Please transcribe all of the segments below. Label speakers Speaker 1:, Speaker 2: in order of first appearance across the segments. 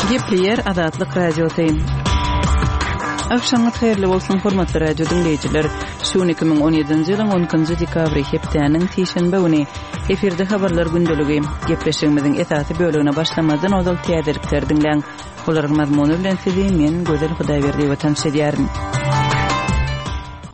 Speaker 1: Gepleýär Azatlyk Radiosy. Agşamyňyz haýyrly bolsun, hormatly radio diňleýjiler. Şu gün 2017-nji ýylyň 12-nji dekabry, hepdäniň sişenbe güni. Efirde habarlar gündeligi. Gepleşigimiziň esasy bölegine başlamazdan ozal täzelikleri diňläň. Olaryň mazmuny bilen sizi men, Gözel Hudaýberdiýewa tanyş edýärin.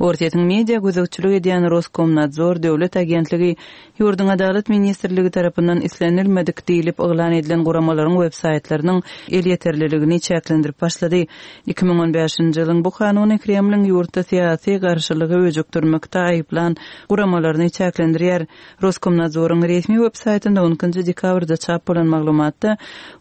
Speaker 1: Orsýetiň media gözegçilik edýän Roskomnadzor döwlet agentligi ýurduň Adalat ministrligi tarapyndan islenilmedik diýlip yglan edilen guramalaryň websaýtlarynyň elýeterliligini çäklendirip başlady. 2015-nji ýylyň bu kanuny Kremliň ýurtda syýasy garşylygy öjükdirmekde aýyplan guramalaryny çäklendirýär. Roskomnadzoryň resmi web-saýtynda on ikinji dekabrda çap bolan maglumatda,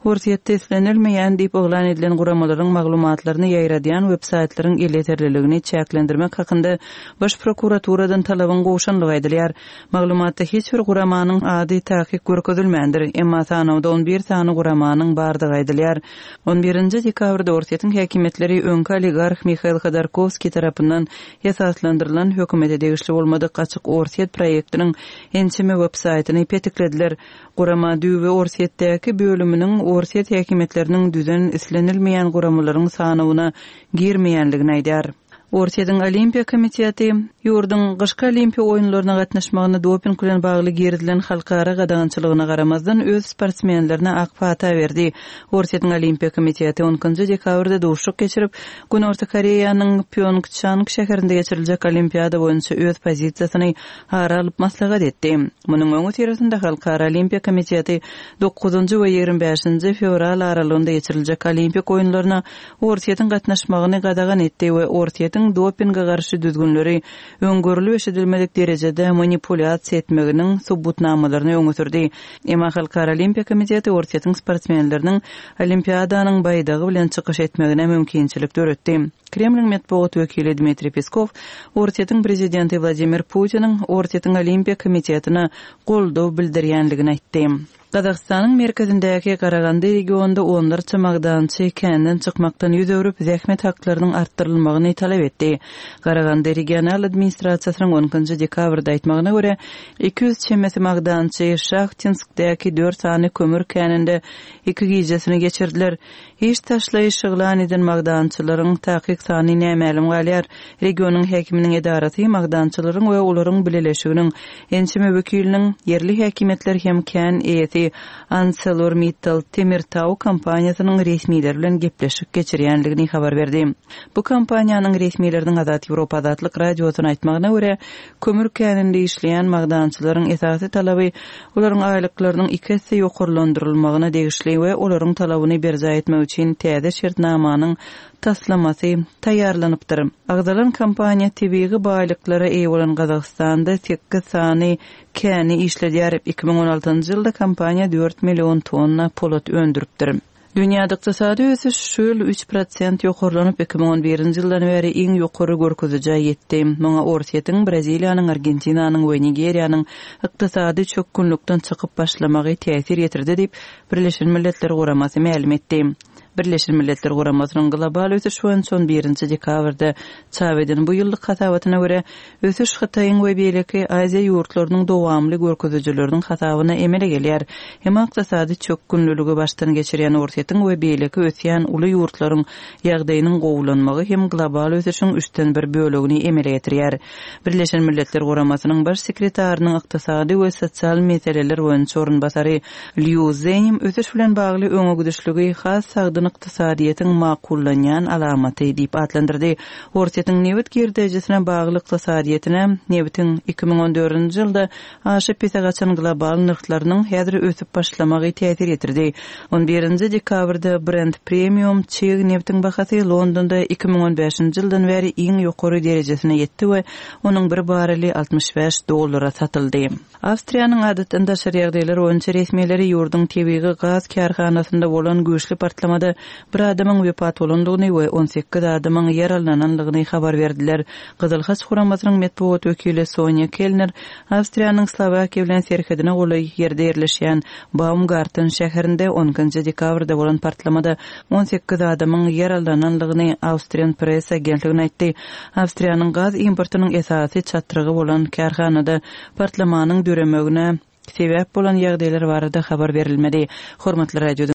Speaker 1: Orsýetde islenilmeýän diýip yglan edilen guramalaryň maglumatlaryny ýaýradýan web-saýtlaryň elýeterliligini çäklendirmek hakynda Baş prokuraturadan talabyň gowşanlygy aýdylýar. Maglumatda hiç bir guramanyň ady takyk görkezilmändir, emma sanawda on bir sany guramanyň bardygy aýdylýar. On birinji dekabrda Orsýetiň häkimiýetleri öňki oligarh Mihail Hodorkowskiý tarapyndan esaslandyrylan hökümete degişli bolmadyk Açyk Orsýet proýektiniň ençeme websaýtyny petiklediler. Gurama düýbi Orsýetdäki bölüminiň Orsýet häkimiýetleriniň düzen islenilmeýän guramalaryň sanawyna girmeýänligini aýdýar. Orsýetiň Olimpiýa komiteti ýurduň gyşky Olimpiýa oýunlaryna gatnaşmagyna doping bilen bagly girizilen halkara gadagançylygyna garamazdan öz sportsmenlerine ak pata berdi. Orsýetiň Olimpiýa komiteti on ikinji dekabrda duşuşyk geçirip, Günorta Koreýanyň Pýongçang şäherinde geçiriljek Olimpiada boýunça öz pozisiýasyny ara alyp maslahat etdi. Munuň öňüsyrasynda Halkara Olimpiýa komiteti dokuzynjy we 25 bäşinji fewral aralygynda geçiriljek Olimpik oýunlaryna Orsýetiň gatnaşmagyny gadagan etdi we Orsýetiň dopinge garşy düzgünleri öň görlüp-eşidilmedik derejede manipulýasiýa etmeginiň subutnamalaryny öňe sürdi. Emma Halkara Olimpiýa komiteti Orsýetiň sportsmenleriniň Olimpiadanyň baýdagy bilen çykyş etmegine mümkinçilik döretdi. Kremliň metbugat wekili Dmitriý Peskow Orsýetiň prezidenti Wladimir Putiniň Orsýetiň Olimpiýa komitetine goldaw bildirýänligini aýtdy. Gazagystanyň merkezindäki Garagandy regionynda onlarça magdançy känden çykmakdan ýüz öwrüp, zähmet haklarynyň artdyrylmagyny talap etdi. Garagandy regional administrasiýasynyň on ikinji dekabrda aýtmagyna görä, 200 çemesi magdançy Şahtinskdäki dört sany kömür käninde iki gijesini geçirdiler. Iş taşlaýyş yglan eden magdançylaryň takyk sany nämälim galýar. Regionyň häkiminiň edarasy magdançylaryň we olaryň bileleşiginiň ençeme wekiliniň, ýerli häkimiýetler hem kän eýesi ArcelorMittal Temirtau kompaniýasynyň resmileri bilen gepleşik geçirýändigini habar berdi. Bu kompaniýanyň resmileriniň Azat Ýewropa Azatlyk Radiosyna aýtmagyna görä, Kömür käninde işleýän magdançylaryň esasy talaby olaryň aýlyklarynyň iki esse ýokarlandyrylmagyna degişli we olaryň talabyny berjaý etmek üçin täze şertnamanyň taslamasy taýýarlanypdyr. Agzalan kompaniýa tebigy baýlyklara eýe bolan Gazagystanda sekiz sany käni işledýär. 2016-njy ýylda kompaniýa dört million tonna polat öndüripdir. Dünýäde ykdysady ösüş şu ýyl üç prosent ýokarlanyp, 2011-nji ýyldan bäri iň ýokary görkezijä ýetdi. Muňa Orsýetiň, Braziliýanyň, Argentinanyň we Nigeriýanyň ykdysady çökgünlikden çykyp başlamagy täsir ýetirdi diýip, Birleşen Milletler Guramasy mälim etdi. Birleşen Milletler Guramasynyň Global ösüş boýunça on birinji dekabrda çap eden bu ýyllyk hasabatyna görä, Ösüş Hytaýyň we beýleki Aziýa ýurtlarynyň dowamly görkezijileriniň hasabyna emele gelýär. Emma ykdysady çökgünliligi başdan geçirýän Orsýetiň we beýleki ösýän uly ýurtlaryň ýagdaýynyň gowulanmagy hem global ösüşiň üçden bir bölegini emele getirýär. Birleşen Milletler Guramasynyň Baş sekretarynyň ykdysady we sosial meseleler boýunça orunbasary Lýu Zenim ösüş bilen bagly öňe gidişligi has sagdyn ykdysadyýetiň makullanýan alamaty diýip atlandyrdy. Orsýetiň nebit girdejisine bagly ykdysadyýetine nebitiň 2014-nji ýylda aşa pese gaçan global nyrhlarynyň häzir ösüp başlamagy täsir ýetirdi. On birinji dekabrda Brent premium çig nebtiň bahasy Londonda 2015-nji ýyldan bäri iň ýokary derejesine ýetdi we onuň bir barreli 65 dollara satyldy. Awstriýanyň adatdan daşary ýagdaýlar boýunça resmileri ýurduň tebigy gaz kärhanasynda bolan güýçli partlamada bir adamyň wepat bolandygyny we 18 adamyň ýaralanandygyny habar berdiler. Gyzyl Haç guramasynyň metbugat wekili Sonýa Kellner Awstriýanyň Slowakiýa bilen serhedine golaý ýerde ýerleşýän Baumgarten şäherinde on ikinji dekabrda bolan partlamada 18 adamyň ýaralanandygyny Austrian Press agentligine aýtdy. Awstriýanyň gaz importynyň esasy çatrygy bolan kärhanada Partlamanyň döremegine sebäp bolan ýagdaýlar barada habar berilmedi. Hormatly radio.